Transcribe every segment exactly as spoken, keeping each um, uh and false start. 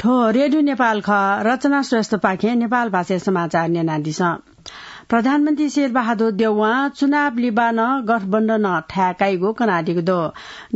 थ्व रेडियो नेपाल खः। रचना श्रेष्ठपाखें नेपाल भाषाय् समाचार न्यनादिसँ। प्रधानमन्त्री शेरबहादुर देउवां चुनाव लिबानं गठबन्धन थाय् काइगु कनादीगु दु।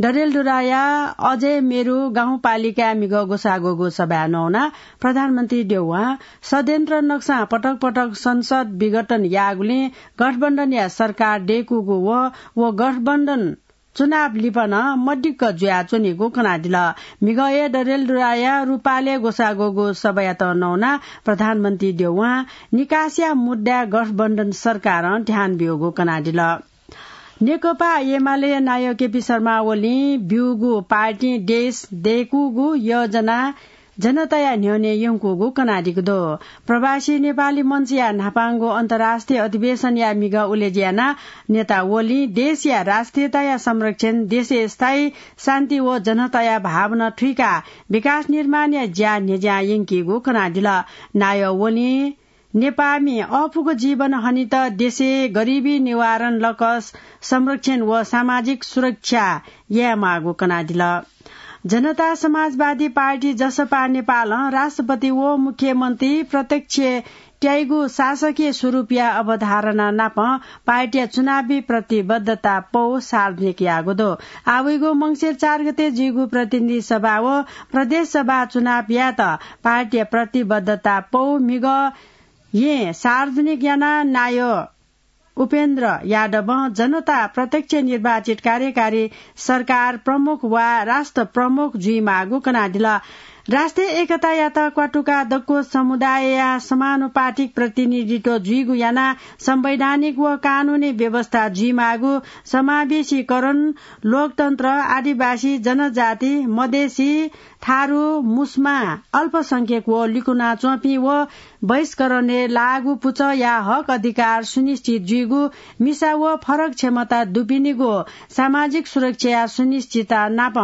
डडेलधुराया अजय मेरु गाउँपालिकाय् म्हिगः ग्वसाः ग्वःगु सभाय् नवानाः प्रधानमन्त्री देउवां षड्यन्त्र नक्सां पटक पटक संसद विघटन याःगुलिं गठबन्धनया सरकार दय्कूगु व, व गठबन्धन चुनाव लिपा नं मदिक्क जुयाच्वनीगु कनादिल। म्हिगः हे डडेलधुराया रूपालय् ग्वसाः ग्वःगु सभायात नवानाः प्रधानमन्त्री देउवां निकासया मुद्दाय् गठबन्धन सरकारं ध्यान ब्यूगु कनादिल। नेकपा एमाले नायः केपी शर्मा ओलीं ब्यूगु पार्टीं देश दय्कूगु योजना जनताया न्ह्यःने यंकूगु कनादीगु दु। प्रवासी नेपाली मञ्चया न्हापांगु अन्तर्राष्ट्रिय अधिवेशनया म्हिगः उलेज्यू यानाः नेता ओलीं देशया राष्ट्रियताया संरक्षण, देशय् स्थायी शान्ति व जनताया भावना थुइकाः विकास निर्माणया ज्या न्ह्यज्यां यंकीगु कनादिल। नायः ओलीं नेपाःमि अःपुक जीवन हनेत देशय् गरिबी निवारण, लकस संरक्षण व सामाजिक सुरक्षा यायेमाःगु कनादिल। जनता समाजवादी पार्टी, जसपा, नेपालं राष्ट्रपति व मुख्यमन्त्री प्रत्यक्ष त्याइगु शासकीय स्वरूपया अवधारणा नाप पार्टीया चुनावी प्रतिबद्धता पौ सार्वजनिक याःगु दु। आः वइगु मंसिर चार गते जुइगु प्रतिनिधि सभा व प्रदेश सभा चुनाव यायेत पार्टीया प्रतिबद्धता पौ म्हिगः येँ सार्वजनिक यानाः नायः उपेन्द्र यादवं जनता प्रत्यक्ष निर्वाचित कार्यकारी सरकार प्रमुख वा राष्ट्र प्रमुख जुइमाःगु कनादिल। राष्ट्रिय एकतायात क्वातुकाः दक्व समुदायया समानुपातिक प्रतिनिधित्व जुइगु यानाः संवैधानिक व कानूनी व्यवस्था जुइमाःगु, समावेशीकरण, लोकतन्त्र, आदिवासी, जनजाति, मधेसी, थारु, मुस्मा, अल्पसंख्यक व लिकुनाच्वंपिं व बहिष्करणय् लाःगु पुचःया हक अधिकार सुनिश्चित जुइगु, मिसा व फरक क्षमता दुपिनिगु सामाजिक सुरक्षाया सुनिश्चितता नाप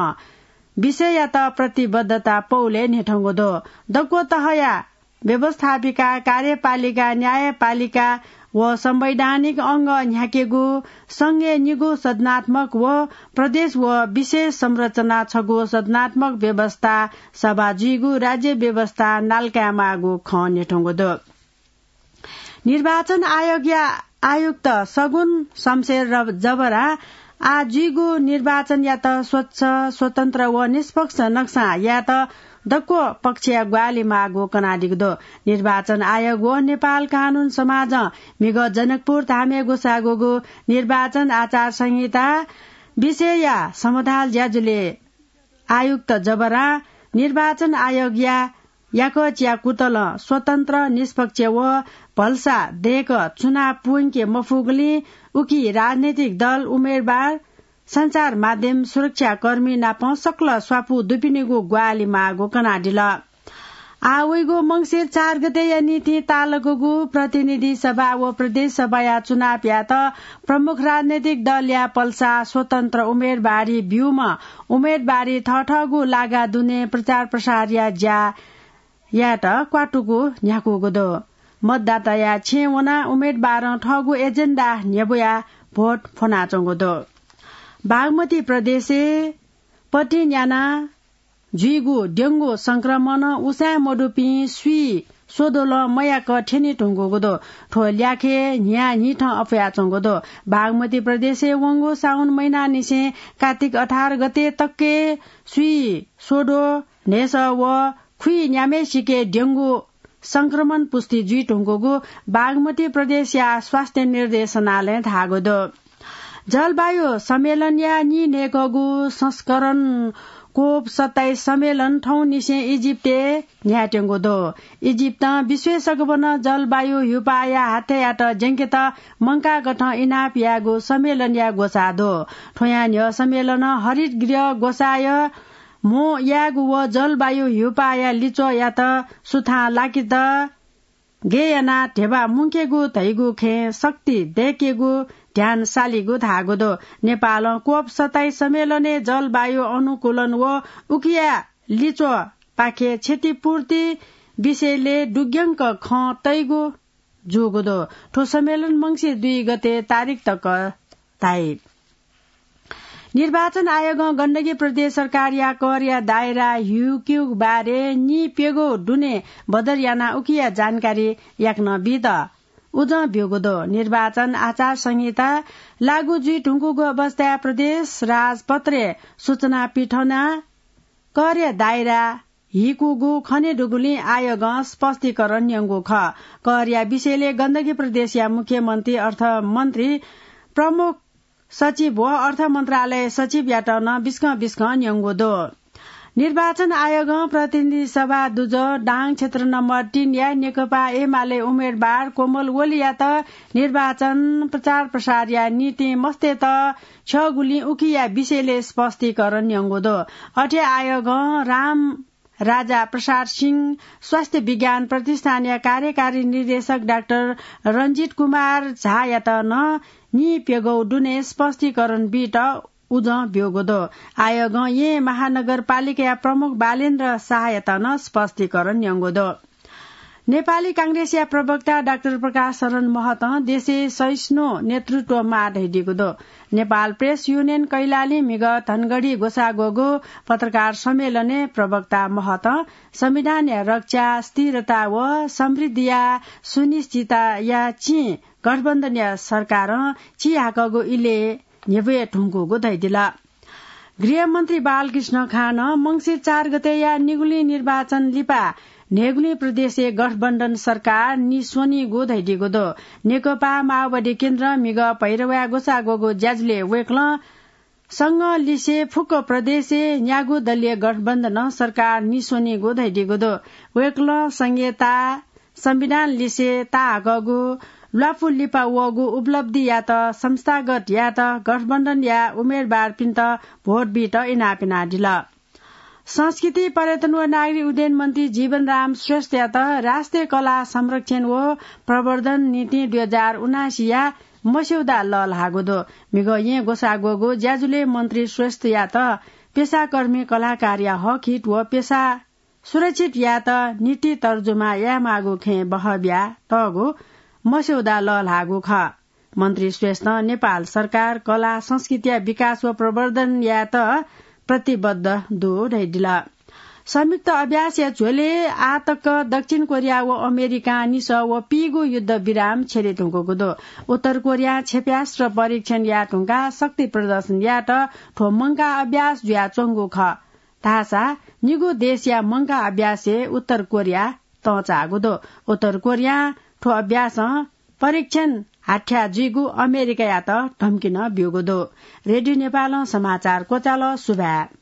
विषययात प्रतिबद्धता पौलय् न्ह्यथंगु दु। दक्व तहया व्यवस्थापिका, कार्यपालिका, न्यायपालिका व संवैधानिक अंग न्ह्याकेगु, संघय् निगू सदनात्मक व प्रदेश व विशेष संरचना छगू सदनात्मक व्यवस्था सभा जुइगु राज्य व्यवस्था नालकायेमाःगु खँ न्ह्यथंगु दु। निर्वाचन आयोगया आयुक्त सगुन शमशेर रब-, जबरां आः जुइगु निर्वाचनयात स्वच्छ, स्वतन्त्र व निष्पक्ष नक्सां यायेत दक्व पक्षया ग्वाहालि माःगु कनादीगु दु। निर्वाचन आयोग व नेपाल कानून समाजं म्हिगः जनकपुर धामय् ग्वसाः ग्वःगु निर्वाचन आचार संहिता विषयया समधाल ज्याझ्वलय् आयुक्त जबरां निर्वाचन आयोगया याकःचिया कुतलं स्वतन्त्र, निष्पक्ष व भलसा दय्क चुनाव पूवंके मफुगुलिं उकी राजनैतिक दल, उम्मेदवार, सञ्चार माध्यम, सुरक्षाकर्मी नाप सकल स्वापू दुपिनिगु ग्वाहालि माःगु कनादिल। आः वइगु मंसिर चार गतेया निंतिं ताःलाःगु प्रतिनिधि सभा व प्रदेश सभाया चुनावयात प्रमुख राजनैतिक दलया पलसा स्वतन्त्र उम्मेदवारी ब्यूम्ह उम्मेदवारी थःथःगु लागा दुने प्रचार प्रसारया ज्या यायेत क्वातुगु न्ह्याकूगु दु। मतदाताया छेँय् वनाः उम्मेदवारं थःगु एजेन्डा न्ह्यब्वयाः भोट फ्वनाच्वंगु दु। बागमती प्रदेशय् पतिं न्यानाः जुइगु डेंगू संक्रमणं उसाँय् मदुपिं स्वीस्वदँ नं मयाक थ्यने धुंकूगु दु। थ्व ल्याखय् न्हियान्हिथं अप्वयाच्वंगु दु। बागमती प्रदेशय् वंगु साउन महिनांनिसें कात्तिक अठार गते तकय् स्वीस्वदँ, न्हय्सः व खुइन्याम्हय्सिके डेंगू संक्रमण पुष्टि जुइधुंकूगु बागमती प्रदेशया स्वास्थ्य निर्देशनालयं धाःगु दु। जलवायु सम्मेलनया नीन्हय्कःगु संस्करण कोप सत्ताइस सम्मेलन थौंनिसें इजिप्तय् न्ह्यायेत्यंगु दु। इजिप्तं विश्वय् सकभनं जलवायु ह्युपाःया हाथ्यायात ज्यंकेत मंकाःकथं इनाप यायेगु सम्मेलनया ग्वसाः दु। थ्वयां न्ह्यः सम्मेलनं हरित गृह ग्वसाःया म्हो यायेगु व जलवायु ह्युपाःया लिच्वःयात सुथां लाकेत गय् यानाः ध्यबा मुंकेगु धइगु खँय् शक्ति दय्केगु ध्यान सालीगु धाःगु दु। नेपालं कोप सत्ताइस सम्मेलनय् जलवायु अनुकूलन व उकिया लिच्वःपाखे क्षतिपूर्ति विषयलय् दुग्यंक खँ तइगु जूगु दु। थ्व सम्मेलन मंसिर दुई गते तारिख तक धाइ। निर्वाचन आयोगं गण्डकी प्रदेश सरकारया करया दायरा हिउक्यु बारे निप्यगौ दुने बदर याना उकिया जानकारी याकनं बीत उजं ब्यूगु दु। निर्वाचन आचार संहिता लागू जुइ धुंकूगु अवस्थाय् प्रदेश राजपत्रय् सूचना पिथना करया दायरा हिकूगु खने दुगुलिं आयोगं स्पष्टीकरण न्यंगु खः। करया विषयले गण्डकी प्रदेशया मुख्यमन्त्री, अर्थमन्त्री, प्रमुख सचिव व अर्थ मन्त्रालय सचिवयात नं बिस्कं बिस्कं न्यंगु दु। निर्वाचन आयोगं प्रतिनिधि सभा दुजः दाङ क्षेत्र नम्बर तीनया नेकपा एमाले उम्मेदवार कोमल ओलीयात निर्वाचन प्रचार प्रसारया निंतिं मस्तेत छ्यःगुलिं उकिया विषयले स्पष्टीकरण न्यंगु दु। अथे आयोगं राम राजा प्रसाद सिंह स्वास्थ्य विज्ञान प्रतिष्ठानया कार्यकारी निर्देशक डाक्टर रञ्जित कुमार झायात नं निप्यगौ दुने स्पष्टीकरण बीत उजं ब्यूगु दु। आयोगं येँ महानगरपालिकाया प्रमुख बालेन्द्र शाहयात नं स्पष्टीकरण न्यंगु दु। नेपाली कांग्रेसया प्रवक्ता डाक्टर प्रकाश शरण महतं देशय् सहिष्णु नेतृत्व माः धयादीगु दु। नेपाल प्रेस युनियन कैलालीं म्हिगः धनगढी ग्वसाः ग्वःगु पत्रकार सम्मेलनय् प्रवक्ता महतं संविधानया रक्षा, स्थिरता व समृद्धिया सुनिश्चितताया चिं गठबन्धनया सरकारं चिहाकःगु इलय् न्ह्यब्वये धुंकूगु धयादिल। गृहमन्त्री बालकृष्ण खानं मंसिर चार गतेया निगुलिं निर्वाचन लिपा न्हय्‌गुलिं प्रदेशय् गठबन्धन सरकार निस्वनीगु धयादीगु दु। नेकपा माओवादी केन्द्रं म्हिगः भैरवाय् ग्वसाः ग्वःगु ज्याझ्वलय् वय्‌कलं संघं लिसे फुक्क प्रदेशय् न्यागू दलीय गठबन्धनं सरकार निस्वनीगु धयादीगु दु। वय्‌कलं संघीयता, संविधान लिसे ताहाकःगु ल्वापु लिपा वःगु उपलब्धियात संस्थागत यायेत गठबन्धनया उम्मेदवारपिन्त भोट बीत इनाप यानादिल। संस्कृति, पर्यटन व नागरिक उड्डयन मन्त्री जीवनराम श्रेष्ठयात राष्ट्रिय कला संरक्षण व प्रवर्धन नीति दुई हजार उनासीया मस्यौदा लःल्हाःगु दु। म्हिगः येँ ग्वसाः ग्वःगु ज्याझ्वलय् मन्त्री श्रेष्ठयात पेसाकर्मी कलाकारया हकहित व पेसा सुरक्षित यायेत नीति तर्जुमा यायेमाःगु खँय् बहः बियातःगु मस्यौदा लःल्हाःगु खः। मन्त्री श्रेष्ठं नेपाल सरकार कला संस्कृतिया विकास व प्रवर्धन यायेत प्रतिबद्ध दु धयादिल। संयुक्त अभ्यासया झ्वलय् आः तक दक्षिण कोरिया व अमेरिकां निसः व पीगु युद्ध विराम छ्यले धुंकूगु दु। उत्तर कोरियां क्षेप्यास्त्र परीक्षण याये धुंकाः शक्ति प्रदर्शन यायेत थ्व मंकाः अभ्यास जुयाच्वंगु खः। धाःसा निगू देशया मंकाः अभ्यासय् उत्तर कोरिया तंचाःगु दु। उत्तर कोरियां थ्व अभ्यासं परीक्षण हाथ्याः जुइगु अमेरिकायात धम्की नं ब्यूगु दु। रेडियो नेपालं समाचार क्वचाल। सुभाय्।